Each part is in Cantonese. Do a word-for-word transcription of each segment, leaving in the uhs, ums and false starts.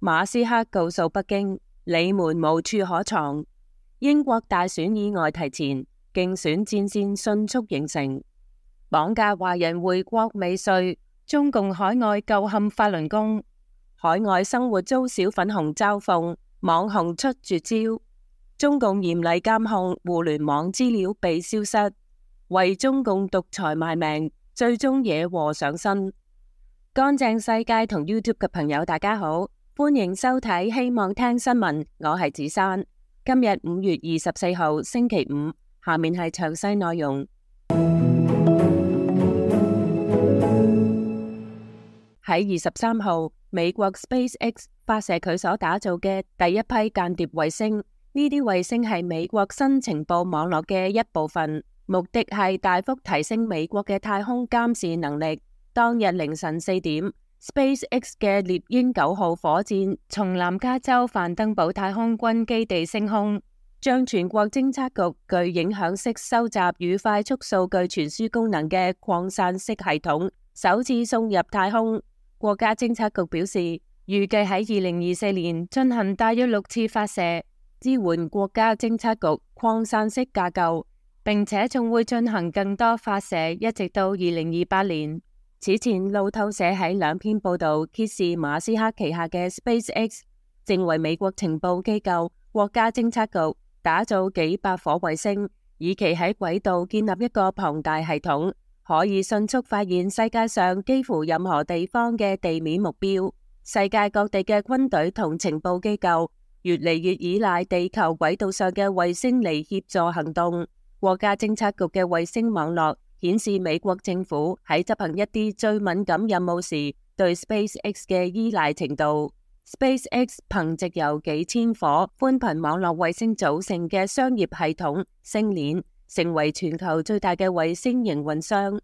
馬斯克告訴北京，你們無處可藏。英國大選意外提前，競選戰線迅速形成。綁架華人回國未遂，中共海外舊陷法輪功。海外生活遭小粉紅嘲諷，網紅出絕招。中共嚴厲監控互聯網資料被消失，為中共獨裁賣命，最終惹禍上身。乾淨世界同 YouTube 嘅朋友大家好，歡迎收睇希望聽新聞，我係子珊。今日五月二十四號星期五，下面係詳細內容。喺二十三號，美國 SpaceX 發射佢所打造嘅第一批間諜衛星，呢啲衛星係美國新情報網絡嘅一部分，目的係大幅提升美國嘅太空監視能力。當日凌晨四點，SpaceX 嘅獵鷹九號火箭從南加州范登堡太空軍基地升空，將全國偵測局具影響式收集與快速數據傳輸功能嘅擴散式系統首次送入太空。國家偵測局表示，預計喺二零二四年進行大約六次發射，支援國家偵測局擴散式架構，並且仲會進行更多發射，一直到二零二八年。此前，路透社喺兩篇報道揭示馬斯克旗下嘅 SpaceX 正為美國情報機構國家偵測局打造幾百顆衛星，以期喺軌道建立一個龐大系統，可以迅速發現世界上幾乎任何地方嘅地面目標。世界各地嘅軍隊同情報機構越嚟越依賴地球軌道上嘅衛星嚟協助行動。國家偵測局嘅衛星網絡顯示美國政府喺執行一啲最敏感任務時對 SpaceX 嘅依賴程度。SpaceX 憑藉由幾千顆寬頻網絡衛星組成嘅商業系統星鏈，成為全球最大嘅衛星營運商。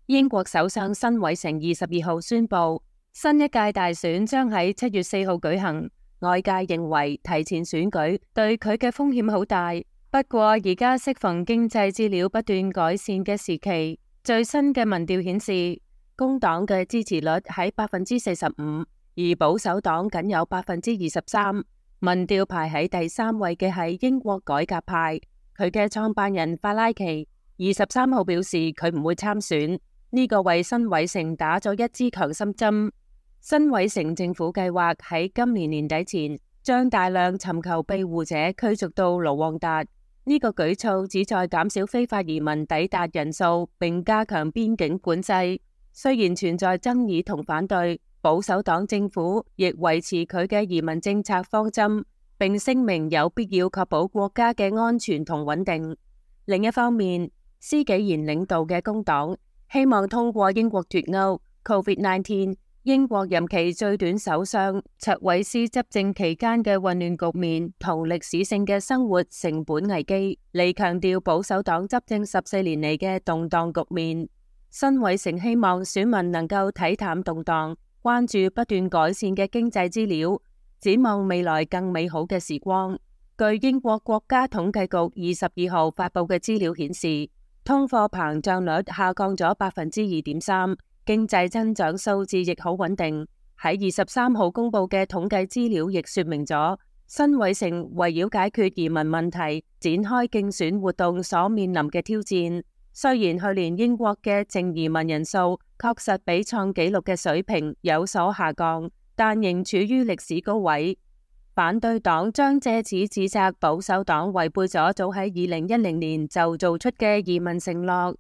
英國首相辛偉誠二十二號宣布，新一屆大選將喺七月四號舉行。外界認為提前選舉對佢嘅風險好大，不過而家適逢經濟資料不斷改善嘅時期，最新嘅民調顯示，工黨嘅支持率喺百分之四十五，而保守黨僅有百分之二十三。民調排喺第三位嘅係英國改革派，佢嘅創辦人法拉奇二十三號表示佢唔會參選，呢、這個為辛偉誠打咗一支強心針。辛偉誠政府計劃喺今年年底前將大量尋求庇護者驅逐到盧旺達。呢個舉措旨在減少非法移民抵達人數，並加強邊境管制。雖然存在爭議同反對，保守黨政府亦維持佢嘅移民政策方針，並聲明有必要確保國家嘅安全同穩定。另一方面，施紀賢領導嘅工黨希望通過英國脫歐 COVID 十九。英國任期最短首相卓偉斯執政期間嘅混亂局面同歷史性嘅生活成本危機，嚟強調保守黨執政十四年嚟嘅動盪局面。辛偉誠希望選民能夠睇淡動盪，關注不斷改善嘅經濟資料，展望未來更美好嘅時光。據英國國家統計局二十二號發佈嘅資料顯示，通貨膨脹率下降咗百分之二點三。經濟增長數字亦好穩定。喺二十三號公布嘅統計資料亦說明咗，辛偉誠圍繞解決移民問題展開競選活動所面臨嘅挑戰。雖然去年英國嘅淨移民人數確實比創紀錄嘅水平有所下降，但仍處於歷史高位。反對黨將借此指責保守黨違背咗早喺二零一零年就做出嘅移民承諾。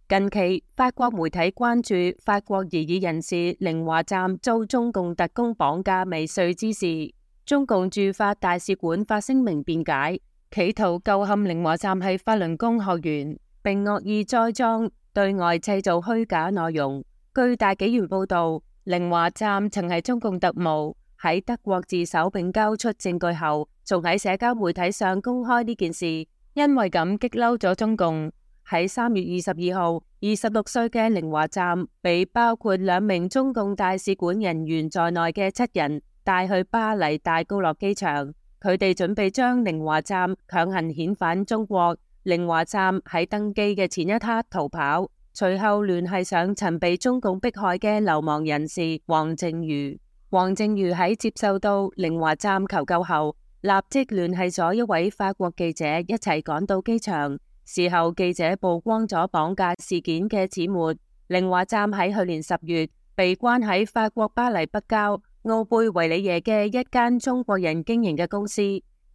近期，法國媒體關注法國異議人士寧華站遭中共特工綁架未遂之事。中共駐法大使館發聲明辯解，企圖構陷寧華站係法輪功學員，並惡意栽贓，對外製造虛假內容。據大紀元報道，寧華站曾係中共特務，喺德國自首並交出證據後，仲喺社交媒體上公開呢件事，因為咁激嬲咗中共。喺三月二十二號，二十六歲嘅寧華站被包括兩名中共大使館人員在內嘅七人帶去巴黎戴高樂機場，佢哋準備將寧華站強行遣返中國，寧華站喺登機嘅前一刻逃跑，隨後聯繫上曾被中共迫害嘅流亡人士黃靖瑜。黃靖瑜喺接受到寧華站求救後，立即聯繫咗一位法國記者一齊趕到機場。事後記者曝光咗綁架事件嘅始末。寧華站喺去年十月被關喺法國巴黎北郊奧貝維里耶嘅一間中國人經營嘅公司。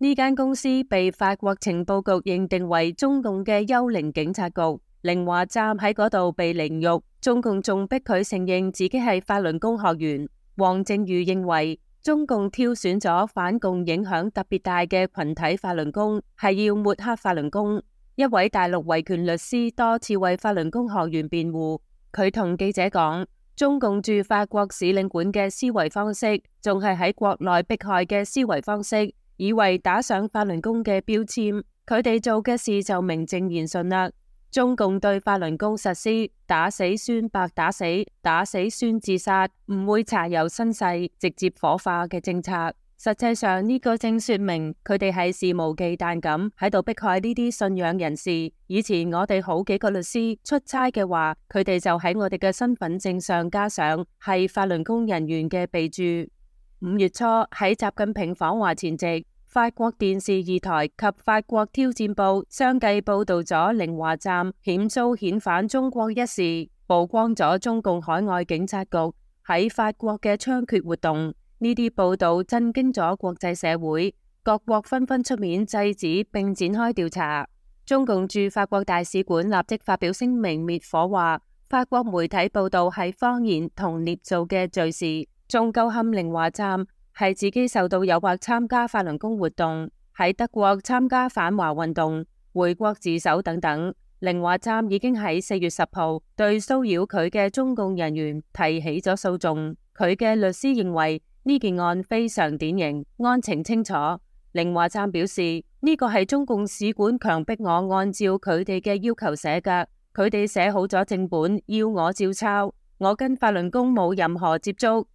呢間公司被法國情報局認定為中共嘅幽靈警察局。寧華站喺嗰度被凌辱，中共仲逼佢承認自己係法輪功學員。黃靖瑜認為中共挑選咗反共影響特別大嘅群體法輪功，係要抹黑法輪功。一位大陸維權律師多次為法輪功學員辯護，佢同記者講，中共駐法國使領館嘅思維方式，仲係喺國內迫害嘅思維方式。以為打上法輪功嘅標籤，佢哋做嘅事就名正言順啦。中共對法輪功實施打死孫白打死，打死孫自殺，唔會查有身世，直接火化嘅政策。實際上呢個正說明佢哋係肆無忌憚咁喺度迫害呢啲信仰人士。以前我哋好幾個律師出差嘅話，佢哋就喺我哋嘅身份證上加上係法輪功人員嘅備註。五月初喺習近平訪華前夕，法國電視二台及法國挑戰報相繼報道咗寧華站險遭遣返中國一事，曝光咗中共海外警察局喺法國嘅猖獗活動。呢啲報道震驚咗國際社會，各國紛紛出面制止並展開調查。中共駐法國大使館立即發表聲明滅火，話法國媒體報道係謊言同捏造嘅罪事，仲詬陷寧華站係自己受到誘惑參加法輪功活動，喺德國參加反華運動、回國自首等等。寧華站已經喺四月十號對騷擾佢嘅中共人員提起咗訴訟。佢嘅律師認為呢件案非常典型，案情清楚。寧華站表示呢個係中共使館強迫我按照佢哋嘅要求寫㗎，佢哋寫好咗正本，要我照抄，我跟法輪功冇任何接觸。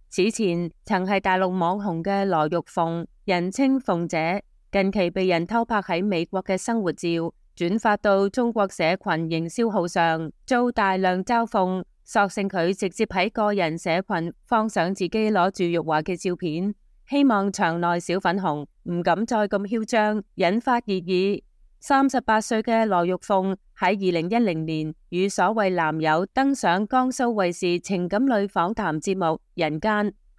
此前曾係大陸網紅嘅羅玉鳳，人稱鳳姐，近期被人偷拍喺美國嘅生活照，轉發到中國社群營銷號上，遭大量嘲諷，索性佢直接喺個人社群放上自己攞住辱華嘅照片，希望場內小粉紅唔敢再咁囂張，引發熱議。三十八歲嘅羅玉鳳喺二零一零年與所謂男友登上江蘇衛視情感類訪談節目《人間》，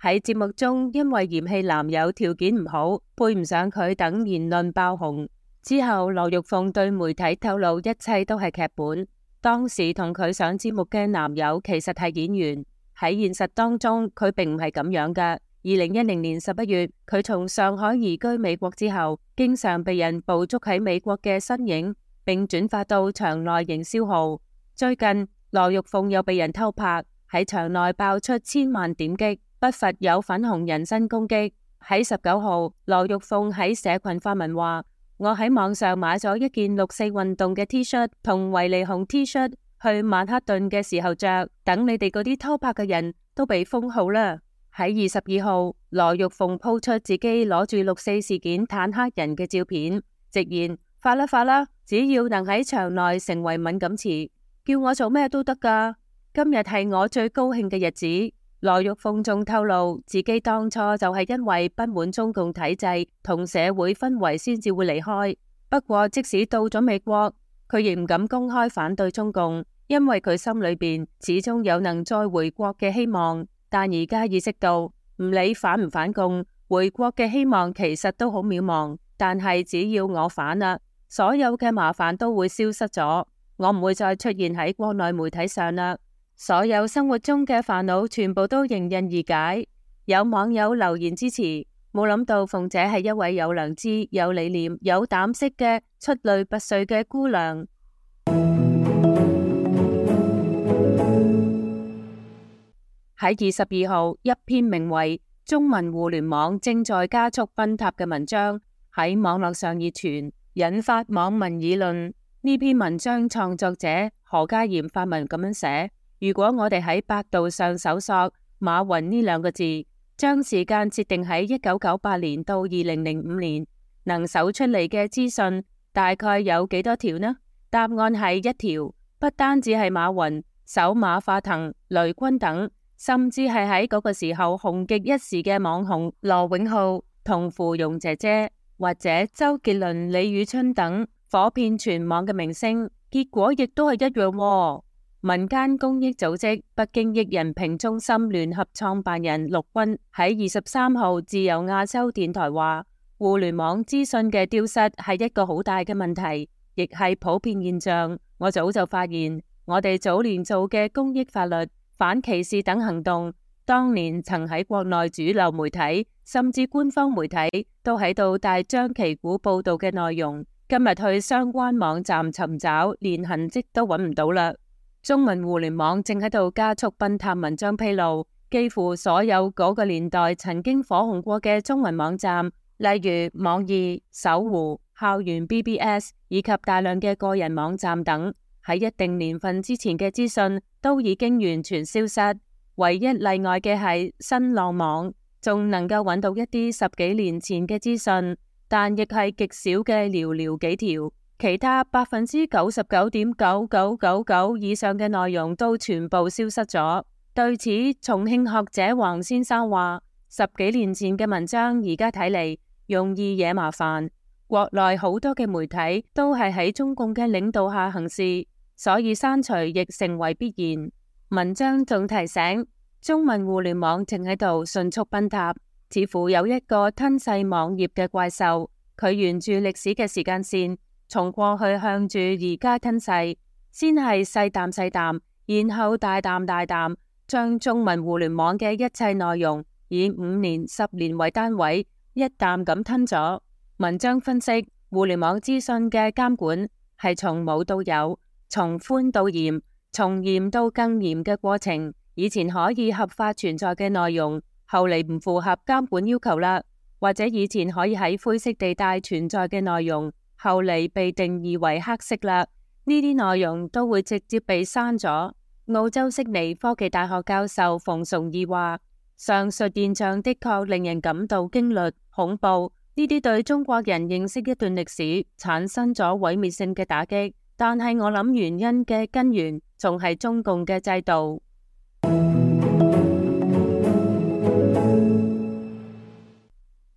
喺節目中因為嫌棄男友條件唔好，配唔上佢等言論爆紅。之後羅玉鳳對媒體透露一切都係劇本，當時同佢上節目嘅男友其實係演員，喺現實當中佢並唔係咁樣㗎。二零一零年十一月，佢從上海移居美國之後，經常被人捕捉喺美國嘅身影，並轉發到場內營銷號。最近，羅玉鳳又被人偷拍，喺場內爆出千萬點擊，不乏有粉紅人身攻擊。喺十九號，羅玉鳳喺社群發文話：我喺網上買咗一件六四運動嘅 T 恤同維尼熊 T 恤，去曼克頓嘅時候着，等你哋嗰啲偷拍嘅人都被封號啦。喺二十二號，羅玉鳳鋪出自己攞住六四事件坦克人嘅照片，直言發啦發啦，只要能喺場內成為敏感詞，叫我做咩都得噶。今日係我最高興嘅日子。羅玉鳳仲透露自己當初就係因為不滿中共體制同社會氛圍先至會離開，不過即使到咗美國，佢亦唔敢公開反對中共，因為佢心裏邊始終有能再回國嘅希望。但而家意識到，唔理反唔反共，回國嘅希望其實都好渺茫。但係只要我反啦，所有嘅麻煩都會消失咗，我唔會再出現喺國內媒體上啦。所有生活中嘅煩惱全部都迎刃而解。有網友留言支持，冇諗到鳳姐係一位有良知、有理念、有膽識嘅出類拔萃嘅姑娘。喺二十二號，一篇名為《中文互聯網正在加速崩塌》嘅文章喺網絡上熱傳，引發網民議論。呢篇文章創作者何家炎發文咁樣寫：如果我哋喺百度上搜索馬雲呢兩個字，將時間設定喺一九九八年到二零零五年，能搜出嚟嘅資訊大概有幾多條呢？答案係一條，不單止係馬雲、首馬化騰、雷軍等，甚至係喺嗰個時候紅極一時嘅網紅羅永浩同芙蓉姐姐，或者周杰倫、李宇春等火遍全網嘅明星，結果亦都係一樣喎。民間公益組織北京益人評中心聯合創辦人陸軍喺二十三號自由亞洲電台話，互聯網資訊嘅丟失係一個好大嘅問題，亦係普遍現象。我早就發現，我哋早年做嘅公益法律、反歧視等行動，當年曾喺國內主流媒體甚至官方媒體都喺度大張旗鼓報道嘅內容，今日去相關網站尋找，連痕跡都揾唔到啦。中文互聯網正喺度加速崩塌，文章披露，幾乎所有嗰個年代曾經火紅過嘅中文網站，例如網易、搜狐、校園 B B S 以及大量嘅個人網站等，喺一定年份之前嘅資訊都已經完全消失。唯一例外嘅係新浪網，仲能夠揾到一啲十幾年前嘅資訊，但亦係極少嘅寥寥幾條。其他百分之九十九點九九九九以上嘅內容都全部消失咗。對此，重慶學者黃先生話：十幾年前嘅文章而家睇嚟容易惹麻煩。國內好多嘅媒體都係喺中共嘅領導下行事，所以刪除亦成為必然。文章仲提醒，中文互聯網正喺度迅速崩塌，似乎有一個吞噬網頁嘅怪獸，佢沿住歷史嘅時間線，從過去向住而家吞噬，先係細啖細啖，然後大啖大啖，將中文互聯網嘅一切內容以五年、十年為單位，一啖咁吞咗。文章分析，互聯網資訊嘅監管係從冇到有，從寬到嚴，從嚴到更嚴嘅過程。以前可以合法存在嘅內容，後嚟唔符合監管要求啦；或者以前可以喺灰色地帶存在嘅內容，後嚟被定義為黑色啦，呢啲內容都會直接被刪咗。澳洲悉尼科技大學教授馮崇義話：上述現象的確令人感到驚慄、恐怖，呢啲對中國人認識一段歷史產生咗毀滅性嘅打擊。但係我諗原因嘅根源仲係中共嘅制度。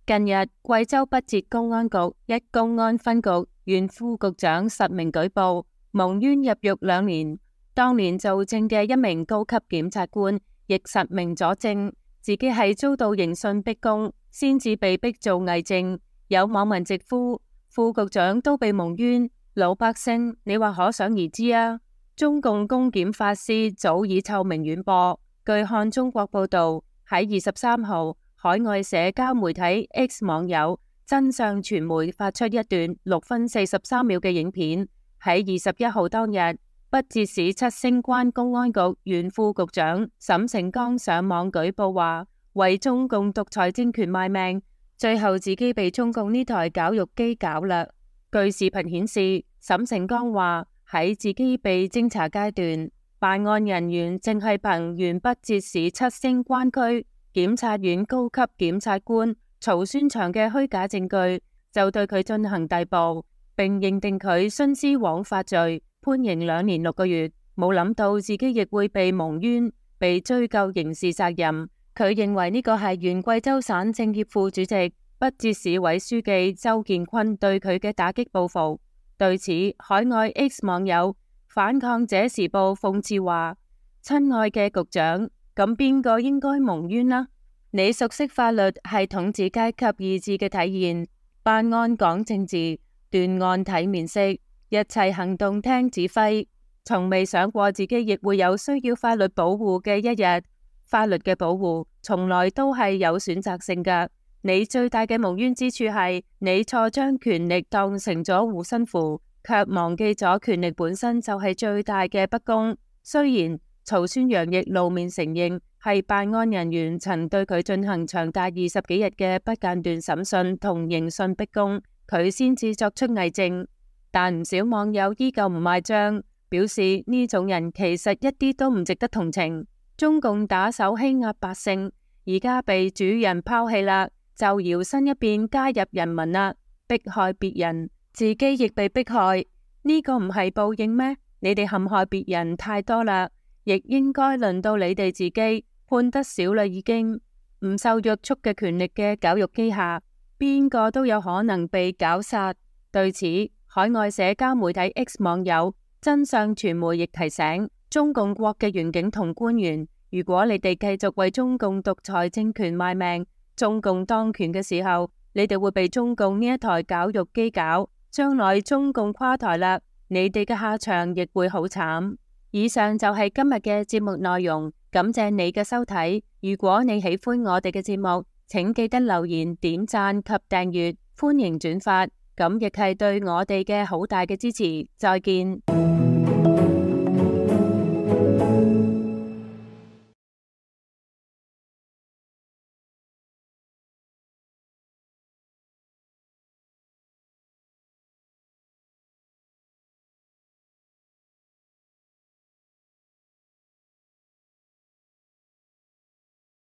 近日，貴州北捷公安局一公安分局原副局長實名舉報，蒙冤入獄兩年。當年做證嘅一名高級檢察官亦實名佐證，自己係遭到刑訊逼供，先至被逼做偽證。有網民直呼副局長都被蒙冤，老百姓你話可想而知啊！中共公檢法師早已臭名遠播。據看中國報道，喺二十三號，海外社交媒體 X 網友真相傳媒發出一段六分四十三秒嘅影片。喺二十一號當日，北捷市七星關公安局原副局長沈成剛上網舉報話，為中共獨裁政權賣命，最後自己被中共呢台絞肉機絞啦。據視頻顯示，沈成剛話喺自己被偵查階段，辦案人員正係憑原北捷市七星關區檢察院高級檢察官曹宣祥嘅虛假證據，就對佢進行逮捕，並認定佢徇私枉法罪，判刑兩年六個月。冇諗到自己亦會被蒙冤，被追究刑事責任。佢認為呢個係原貴州省政協副主席、北捷市委書記周建坤對佢嘅打擊報復。對此，海外 X 網友反抗者時報諷刺話：親愛嘅局長，咁邊個應該蒙冤呢？你熟悉法律係統治階級意志嘅體現，辦案講政治，斷案睇面色，一切行動聽指揮，從未想過自己亦會有需要法律保護嘅一日。法律嘅保護從來都係有選擇性㗎。你最大嘅蒙冤之處係你錯將權力當成咗護身符，卻忘記咗權力本身就係最大嘅不公。雖然曹宣陽亦露面承認係辦案人員曾對佢進行長達二十幾日嘅不間斷審訊同刑訊逼供，佢先至作出偽證，但唔少網友依舊唔賣賬，表示呢種人其實一啲都唔值得同情。中共打手欺壓百姓，而家被主人拋棄啦，就搖身一變加入人民啦，迫害別人，自己亦被迫害，呢個唔係報應咩？你哋陷害別人太多啦，亦應該輪到你哋自己，判得少啦已經。唔受約束嘅權力嘅絞肉機下，邊個都有可能被絞殺。對此，海外社交媒體 X 網友真相傳媒亦提醒中共國嘅員警同官員，如果你哋繼續為中共獨裁政權賣命，中共當權嘅時候，你哋會被中共呢一台絞肉機絞，將來中共垮台啦，你哋嘅下場亦會好慘。以上就係今日嘅節目內容，感謝你嘅收睇。如果你喜歡我哋嘅節目，請記得留言、點讚及訂閱，歡迎轉發，咁亦係對我哋嘅好大嘅支持。再見。